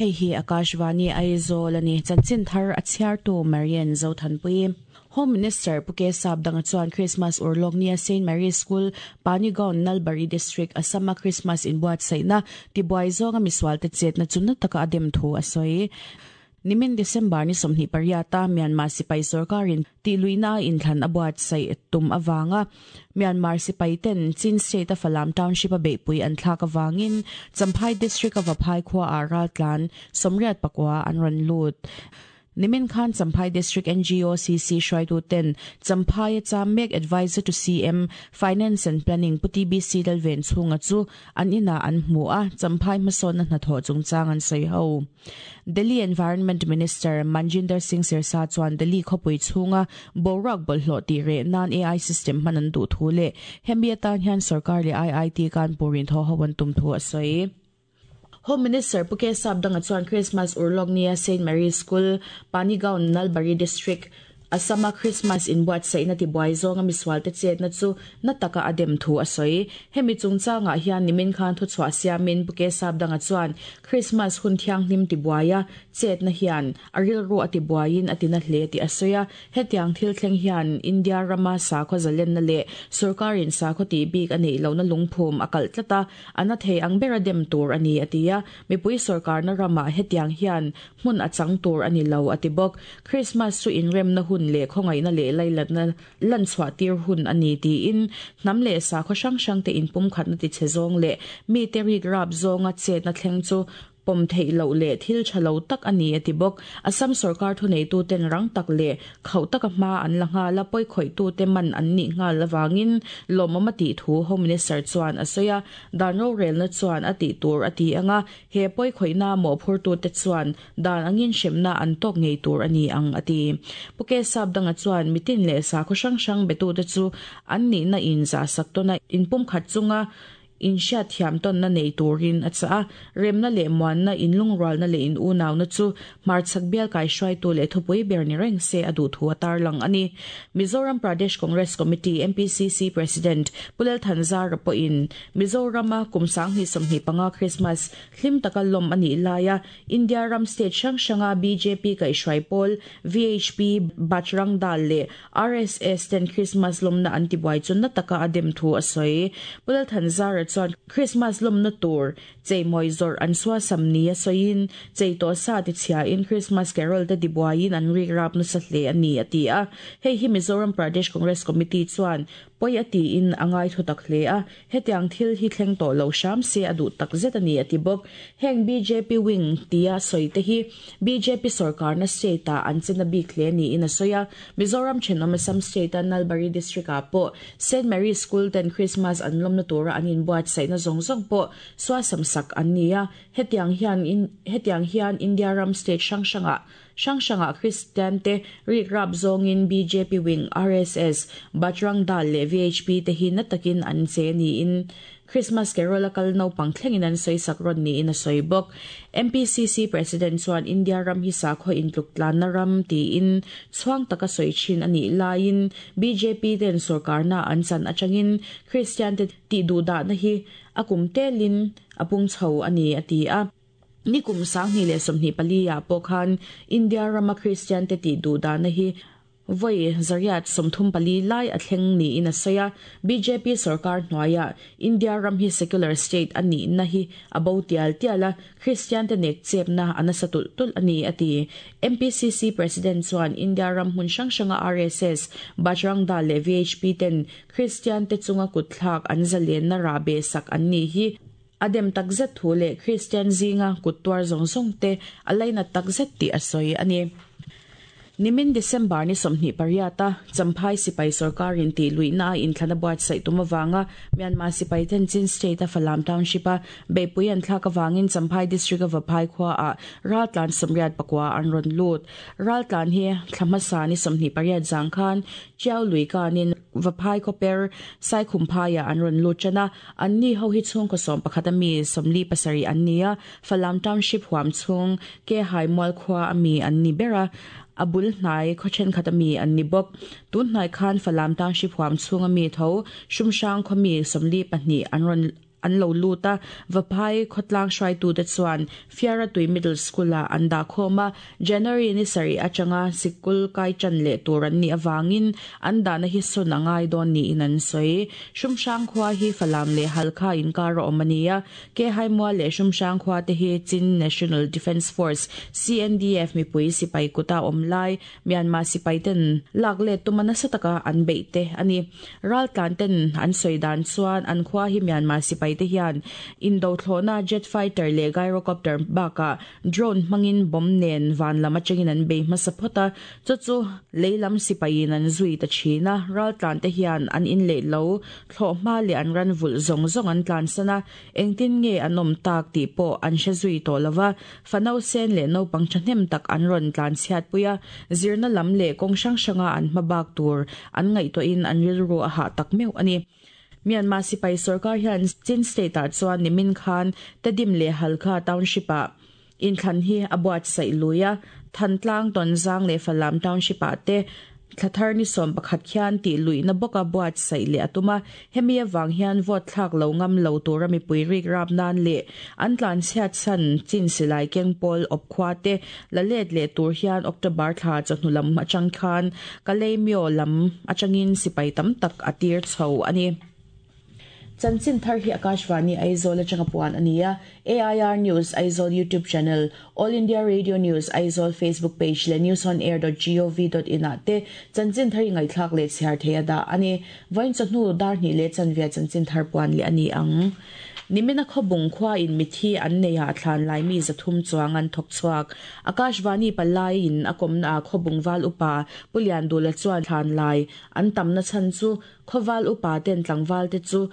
Hei hi Akashvani Aizawl a ni. Chanchin thar a chhiartu Marian Zothanpui. Home Minister Pu K Sapdanga chuan Christmas urlawk nia Saint Mary's School, Panigaon, Nalbari District, Assam-a Christmas inbuatsaihna tibuai zawnga misualte chetna chu na taka a dem thu a sawi. Nimin December ni 28 a Myanmar sipai sorkarin tihluihna a inthlan a buatsaih tum avanga Myanmar sipai ten Chin State a Falam Township a beihpui an thlak avangin Champhai District a Vaphai khua ah raltlan 84 an rawn lut. Nimin khan Champhai District NGOCC hruaitu ten Champhai a cham mek Adviser to CM, Finance and Planning Pu TBC Lalven chhunga chu an inah an hmu a, Champhai hmasawnna hnathawh chungchang an sawi ho. Delhi Environment Minister Manjinder Singh Sirsa chuan Delhi khawpui chhunga boruak bawlhhlawh tih reh nan AI system hman an duh thu leh hemi atan hian sorkar leh IIT Kanpur in thaw ho an tum thu a sawi. Home Minister Pu K Sapdanga chuan Christmas urlawk nia Saint Mary's School, Panigaon, Nalbari District, Assam-a Christmas inbuatsaihna tibuai zawnga misualte chetna chu na taka a dem thu a sawi. Hemi chungchangah hian nimin khan thuchhuah siamin Pu K Sapdanga chuan Christmas hun thianghlim tibuaia chetna hian a rilru a tibuaiin a tina hle tih a sawi a. Hetiang thil thleng hian India rama sakhaw zalenna leh sorkarin sakhaw tih bik a neih lohna lungphum a kalh tlat a, a na thei ang bera dem tur a ni a ti a. Mipui sorkarna ramah hetiang hian Hmun a chang tur a ni lo, a ti bawk. Krismas chu inremna hun leh khawngaihna leh lailatna lanchhuah tir hun a ni tiin hnam leh sakhaw hrang hrangte inpumkhatna tichhe zawng leh mite rik rap zawnga chetna thleng chu pawm theih loh leh thil tha lo tak a ni, a ti bawk. Assam sorkar thuneituten rang tak leh khauh taka hma an la nghal a, pawikhawih-tute man an nih nghal avangin lawmawm a tih thu Home Minister chuan a sawi a. Dan rorelna chuan a tih tur a ti ang a, He pawikhawihna mawhphurtute chuan dan angin hremna an tawk ngei tur a ni ang, a ti. Pu K Sapdanga chuan mitin leh sakhaw hrang hrang betute chu an nihna in zahsak tawn a, inpumkhat chunga inhriatthiam tawnna nei turin a chah a. Remna leh muanna, inlungrualna leh in unauna chu hmarchhak bial kaihruaitu leh thupui ber ni reng se a duh thu a tarlang a ni. Mizoram Pradesh Congress Committee, MPCC, President Pu Lalthanzara pawhin Mizorama kum 2025 Krismas hlim taka lawm a nih laia India ram state hrang hranga bjp kaihhruai pawl VHP, Bajrang Dal leh RSS ten Krismas lawmna an tibuai chu na taka a dem thu a sawi. Pu Lalthanzara chuan Krismas lawmna tur cheimawi zawrh an suasam nia sawiin chei tawh sa tichhiain Krismas carol te tibuaiin an rik rap nasa hle a ni a ti a. Hei hi Mizoram Pradesh Congress Committee chuan Pawi a tiin a ngai thu tak hle a, hetiang thil hi thleng tawh lo hram se a duh tak zet a ni a ti bawk. Heng bjp wing tia sawi te hi bjp sorkarna state ah an chena bik hle niin a sawi a. Mizoram thenawm Assam state a Nalbari district ah pawh Saint Mary's School ten Christmas an lawmna tura an inbuatsaihna zawng zawng pawh suasam sak an ni a, hetiang hian hetiang hian India ram state hrang hrangah Hrang hrangah Kristiante rik rap zawngin bjp wing, RSS, Bajrang Dal leh VHP te hi na takin an che niin Christmas Carol a kal naupang thlengin an sawi sak rawn niin a sawi bawk. MPCC President chuan India ram hi sakhaw intluk tlanna ram tiin chhuang taka sawi thin a nih laiin bjp ten sorkarna an chan atangin Kristiante tihduhdahna hi a kum telin a pung chho a ni a ti a. Nikum 2024 ah pawh khan India rama Kristian te tih duh dahna hi vawi 134 lai a thleng niin a sawi a. Bjp sorkar hnuaiah India ram hi secular state a nihna hi a bo tial tial a, Kristian te nek chepna a nasa tulh tulh a ni, a ti. MPCC President chuan India ram hmun hrang hranga RSS, Bajrang Dal leh VHP ten Kristian te chunga kutthlak an zalenna rahbeh sak an nih hi A dem takzet thu leh Kristian zinga kut tuar zawng zawng te a lainat takzet tih a sawi a ni. Nimin December ni 28 a Champhai sipai sorkarin tih luihna a inthlana buatsaih tum avanga Myanmar sipai ten Chin State a Falam Township a beihpui an thlak avangin Champhai District a Vaphai khua ah raltlan 89 an rawn lut. Raltlan hi thla hmasa ni 28 zang khan Chiau lui kanin Vaphai khawper Saikhumphaiah an rawn lut tan a, anni ho hi chhungkaw 11 a mi 47 an ni a, Falam Township huam chhung Kehai mual khua a mi an ni ber a, a bul hnai khaw thenkhat a mi an ni bawk. Tun hnai khan Falam Township huam chhung a mi tho Hrumhrang khaw mi 42 an rawn. an lo lut a, Vaphai khawtlang hruaitute chuan Fiaratui Middle School-ah an dah khawm a, January ni sarih atanga sikul kai tan leh tur an nih avangin an dahna hi sawn a ngai dawn niin an sawi. Hrumhrang khua hi Falam leh Halkha inkar a awm a ni a, Kehaimual leh Hrumhrang khua te hi Chin National Defence Force, CNDF, mipui sipai kuta awm lai Myanmar sipai ten lak let tuma nasa taka an beih te a ni. Raltlan ten an sawi dan chuan an khua hi Myanmar sipai te hian indo thlawhna jet fighter leh gyrocopter bakah drone hmangin bomb nen van lam atangin an bei hmasa phawt a, chu chu lei lam sipaiin an zui ta thin a. Raltlan te hian an in leh lo thlawh hma leh an ran vulh zawng zawng an tlansan a, engtin nge an awm tak tih pawh an hre zui tawh lo va. Fano sen leh naupang thahnem tak an rawn tlan chhiatpui a, zirna lam leh kawng hrang hranga an hma bak tur an ngaihtuahin an rilru a hah tak meuh a ni. Myanmar sipai sorkar hian Chin State-ah chuan nimin khan Tedim leh Halkha Township-ah inthlan hi a buatsaih lui a, Thantlang, Tonzang leh Falam Township-ah te Thlathar ni 11 khian tih luihna bawka buatsaih leh a tum a, hemi avang hian vote thlak lo ngam lo tura mipui rik rap nan leh an tlanchhiat chhan chin silai keng pawl awp khua te la let leh tur hian October thla chawhnu lam atang khan Kalaymyo lam atangin sipai tam tak a tir chho a ni. Chanchin thar hi Akashvani Aizawl atanga puan a ni a, AIR News Aizawl YouTube channel, All India Radio News Aizawl Facebook page leh newsonair.gov.in ah te chanchin thar i ngaihthlak leh chhiar thei a dah a ni. Vawiin chawhnu dar hnih leh chanvia chanchin thar puan leh a ni ang. Nimina khawbung khua in mithi an nei ah thlan lai mi 300 chuang an thawk chhuak. Akashvani palai in a kawmna ah khawbung val upa Pu Liandula chuan thlan lai an tamna chhan chu Khawval upa ten tlangval te chu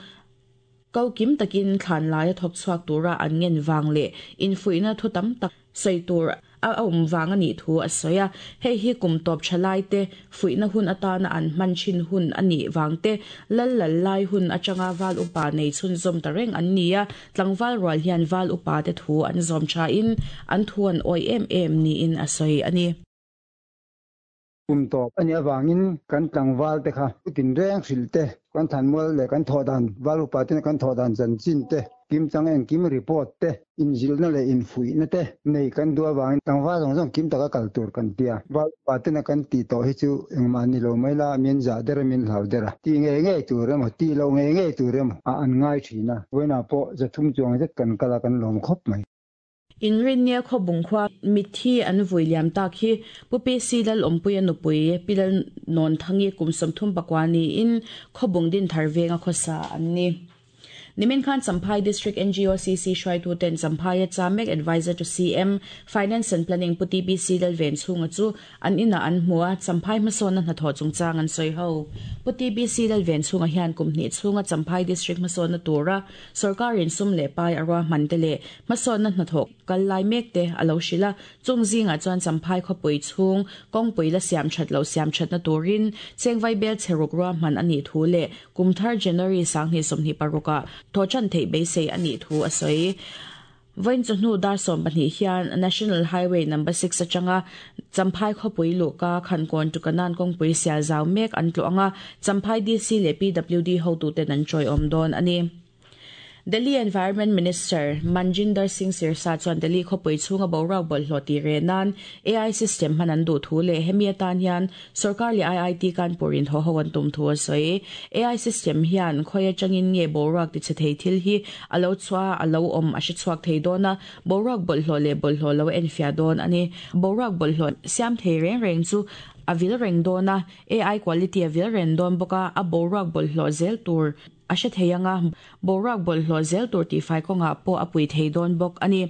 ko kim takin thlan laia thawk chhuak tura an ngen vang leh infuihna thu tam tak sawi tur a awm vang a nih thu a sawi a. Hei hi kum tawp tha lai te fuihna hun atana an hman thin hun a nih vang te, lal lal lai hun atanga val upa nei chhunzawm ta reng an ni a, tlangval rual hian val upa te thu an zawm thain an thu an awih em em niin a sawi a ni. Kum tawp a nih avangin kan tlangval te kha putin reng hrilh te, kan thanmual leh kan thawh dan, val upa tena kan thawh dan chanchin te, kimchang engkim report te, inzilhna leh infuihna te nei kan duh avangin tlangval zawng zawng kim taka kal tur kan tia. Val upa tena kan tih tawh hi chu engmah ni lo mai la, min zah der a, min hlau der a, tih ngei ngei tur emaw, tih loh ngei ngei tur emaw ah an ngai thin a, vawiinah pawh 300 chuang zet kan kal a, kan lawm khawp mai. Inrinnia Khawbung khua mitthi an vui liam tak hi Pu PC Lalawmpuia nupui Pi Lalnawnthangi kum 34 niin Khawbung Dinthar venga khawsa an ni. Nimin khan Champhai District NGOCC hruaitu ten Champhaia Chamek Advisor to CM, Finance and Planning Pu TBC Lalven chhunga chu an inah an hmu a, Champhai hmasawnna hnathawh chungchang an sawi ho. Pu TBC Lalven chhunga hian kum hnih chhunga Champhai District hmasawnna tura Sorkarin sum leh pai a ruahman te leh hmasawnna hnathawh kal lai mek te a lo hrilh a, chung zingah chuan Champhai khawpui chhung kawngpui la siam that loh siam thatna turin chengvai bel chhe ruk ruahman a nih thu leh kum thar January 2026 ah thawhtan theih beisei a nih thu a sawi. Vawiin chawhnu dar 12 hian National Highway Number 6 atanga Champhai khawpui luhka Khankawn to Kanan kawngpui sial zau mek an tlawh anga Champhai DC leh PWD hotuten an tawiawm dawn a ni. Delhi Environment Minister Manjinder Singh Sirsa chuan Delhi khawpui chhunga boruak bawlhhlawh tih reh nan AI system hman an duh thu leh hemi atan hian Sorkar leh IIT Kanpur in haw ho an tum thu a sawi. AI system hian khawi atangin nge boruak tichhe thei thil hi a lo chhuah a, a lo awm a hre chhuak thei dawn a, boruak bawlhhlawh leh bawlhhlawh lo a enfiah dawn a ni. Boruak bawlhhlawh siam thei reng reng chu a vil reng dawn a, AI quality a vil reng dawn bawk a, a boruak bawlhhlawh zel tur a hre thei anga, boruak bawlhhlawh zel tur tihfai kawngah pawh a pui thei dawn bawk a ni.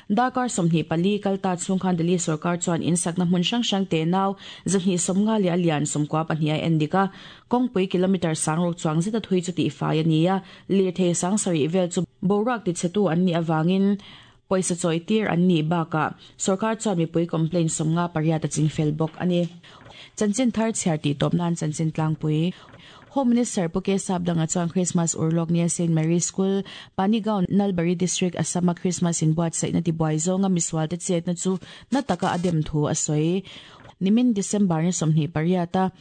Darkar 24 kal ta chhung khan Delhi sorkar chuan in sakna hmun hrang hrang te nau 250 leh a lian 92 a en dik a, kawngpui kilometre 6000 chuang zeta thui chu tihfai a ni a, lirthei 7000 vel chu boruak tichhetu an nih avangin pawisa chawi tir an nih bakah sorkar chuan mipui complaint 58 a chingfel bawk a ni. Chanchin thar chhiar tih tawp nan chanchin tlangpui. Home Minister Pu K Sapdanga chuan Christmas urlawk nia Saint Mary's School, Panigaon, Nalbari District, Assam-a Christmas inbuatsaihna tibuai zawnga misualte chetna chu na taka a dem thu a sawi. Nimin December ni 28 a.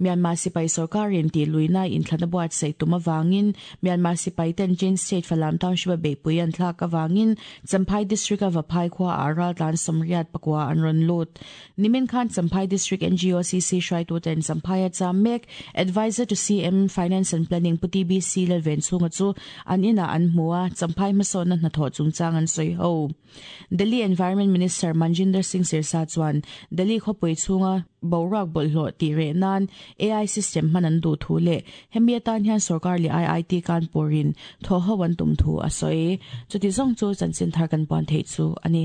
Myanmar sipai sorkarin tihluihna inthlan a buatsaih tum avangin Myanmar sipai ten Chin State Falam Township a beihpui an thlak avangin Champhai District a Vaphai khua ah raltlan 84 an rawn lut. Nimin khan Champhai District NGOCC hruaitu ten Champhai a cham mek Adviser to CM, Finance and Planning Pu TBC Lalvenchhunga chu an inah an hmu a, Champhai hmasawnna hnathawh chungchang an sawi ho. Delhi Environment Minister Manjinder Singh Sirsa chuan Delhi khawpui chhunga boruak bawlhhlawh tih reh nan AI system hman an duh thu leh hemi atan hian sorkar leh IIT Kanpur in thawhho an tum thu a sawi. Chuti zawng chu chanchin thar kan puan theih chu a ni.